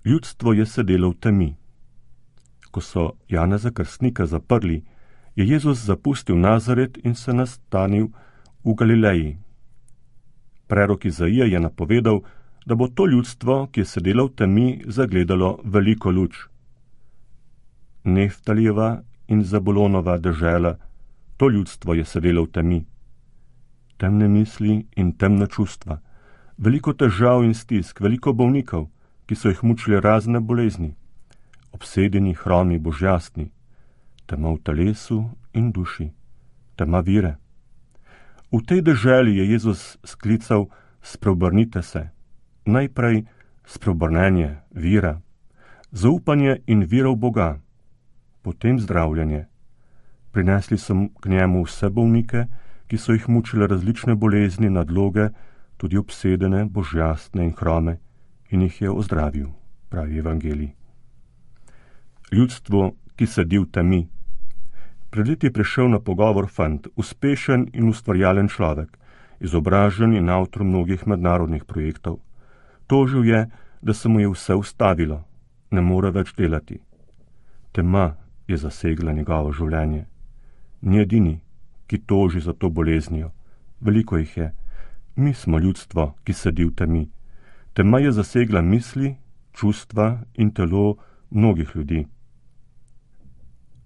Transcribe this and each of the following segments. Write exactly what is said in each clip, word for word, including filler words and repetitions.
Ljudstvo je sedelo v temi. Ko so Janeza Krstnika zaprli, je Jezus zapustil Nazaret in se nastanil v Galileji. Prerok Izaija je napovedal, da bo to ljudstvo, ki je sedelo v temi, zagledalo veliko luč. Neftalijeva in Zabulonova dežela, to ljudstvo je sedelo v temi. Temne misli in temna čustva, veliko težav in stisk, veliko bolnikov, ki so jih mučili razne bolezni, obsedeni, hromi, božjastni, tema v telesu in duši, tema vire. V tej deželi je Jezus sklical: spreobrnite se, najprej spreobrnenje, vira, zaupanje in vira v Boga, potem zdravljenje. Prinesli so k njemu vse bolnike, ki so jih mučile različne bolezni, nadloge, tudi obsedene, božjastne in hrome, in jih je ozdravil, pravi evangelij. Ljudstvo, ki sedi v temi. Pred leti je prišel na pogovor fant, uspešen in ustvarjalen človek, izobražen in avtor mnogih mednarodnih projektov. Tožil je, da se mu je vse ustavilo, ne more več delati. Tema je zasegla njegovo življenje. Ni edini, ki toži za to boleznijo. Veliko jih je. Mi smo ljudstvo, ki sedi v temi. Tema je zasegla misli, čustva in telo mnogih ljudi.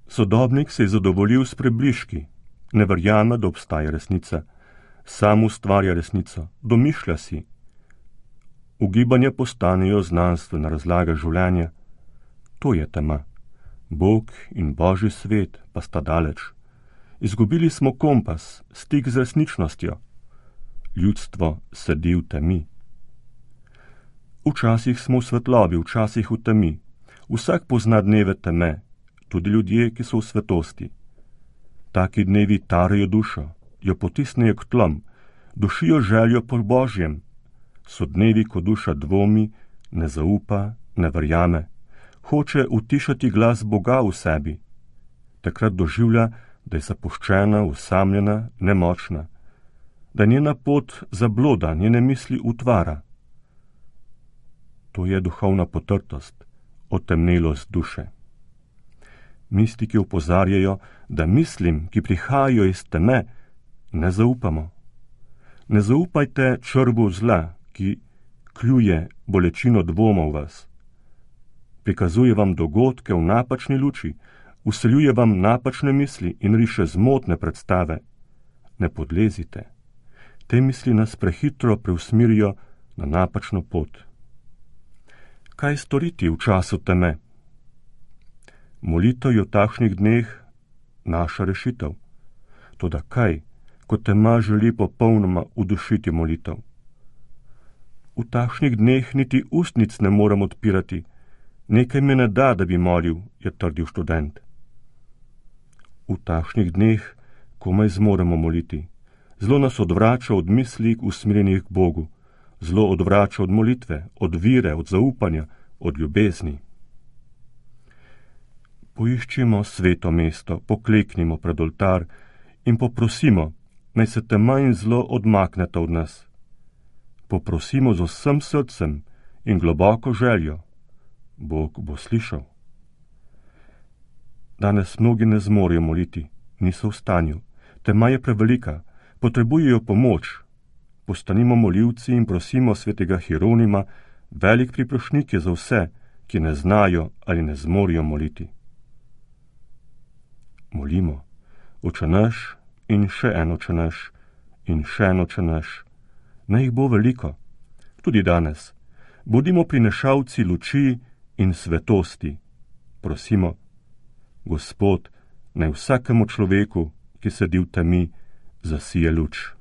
Sodobnik se je zadovoljil s prebližki, ne verjame, da obstaja resnica. Sam ustvarja resnico, domišlja si. Ugibanja postanejo znanstvena razlaga življenja. To je tema. Bog in Božji svet pa sta daleč. Izgubili smo kompas, stik z resničnostjo. Ljudstvo sedi v temi. Včasih smo v svetlobi, včasih v temi. Vsak pozna dneve teme, tudi ljudje, ki so v svetosti. Taki dnevi tarajo dušo, jo potisnejo k tlom, dušijo željo po Božjem. So dnevi, ko duša dvomi, ne zaupa, ne verjame. Hoče utišati glas Boga v sebi. Takrat doživlja, da je zapuščena, osamljena, nemočna. Da njena pot zabloda, njene misli utvara. To je duhovna potrtost, otemnelost duše. Mistiki opozarjajo, da mislim, ki prihajajo iz teme, ne zaupamo. Ne zaupajte črvu zla, ki kljuje bolečino dvoma v vas. Prikazuje vam dogodke v napačni luči, vseljuje vam napačne misli in riše zmotne predstave. Ne podlezite. Te misli nas prehitro preusmirijo na napačno pot. Kaj storiti v času teme? Molitev je v takšnih dneh naša rešitev. Toda kaj, ko tema želi popolnoma udušiti molitev? V takšnih dneh niti ustnic ne morem odpirati. Nekaj me ne da, da bi molil, je trdil študent. V takšnih dneh komaj zmoremo moliti. Zlo nas odvrača od misli usmerjenih k Bogu. Zlo odvrača od molitve, od vire, od zaupanja, od ljubezni. Poiščimo sveto mesto, pokleknimo pred oltar in poprosimo, naj se tema in zlo odmakneta od nas. Poprosimo z vsem srcem in globoko željo. Bog bo slišal. Danes mnogi ne zmorejo moliti, niso v stanju. Tema je prevelika, potrebujejo pomoč. Postanimo molilci in prosimo svetega Hieronima, velik priprošnjik je za vse, ki ne znajo ali ne zmorijo moliti. Molimo, Oče naš in še en Oče naš in še en Oče naš. Naj jih bo veliko, tudi danes. Bodimo prinešalci luči in svetosti. Prosimo, Gospod, naj vsakemu človeku, ki sedi v temi, zasije luč.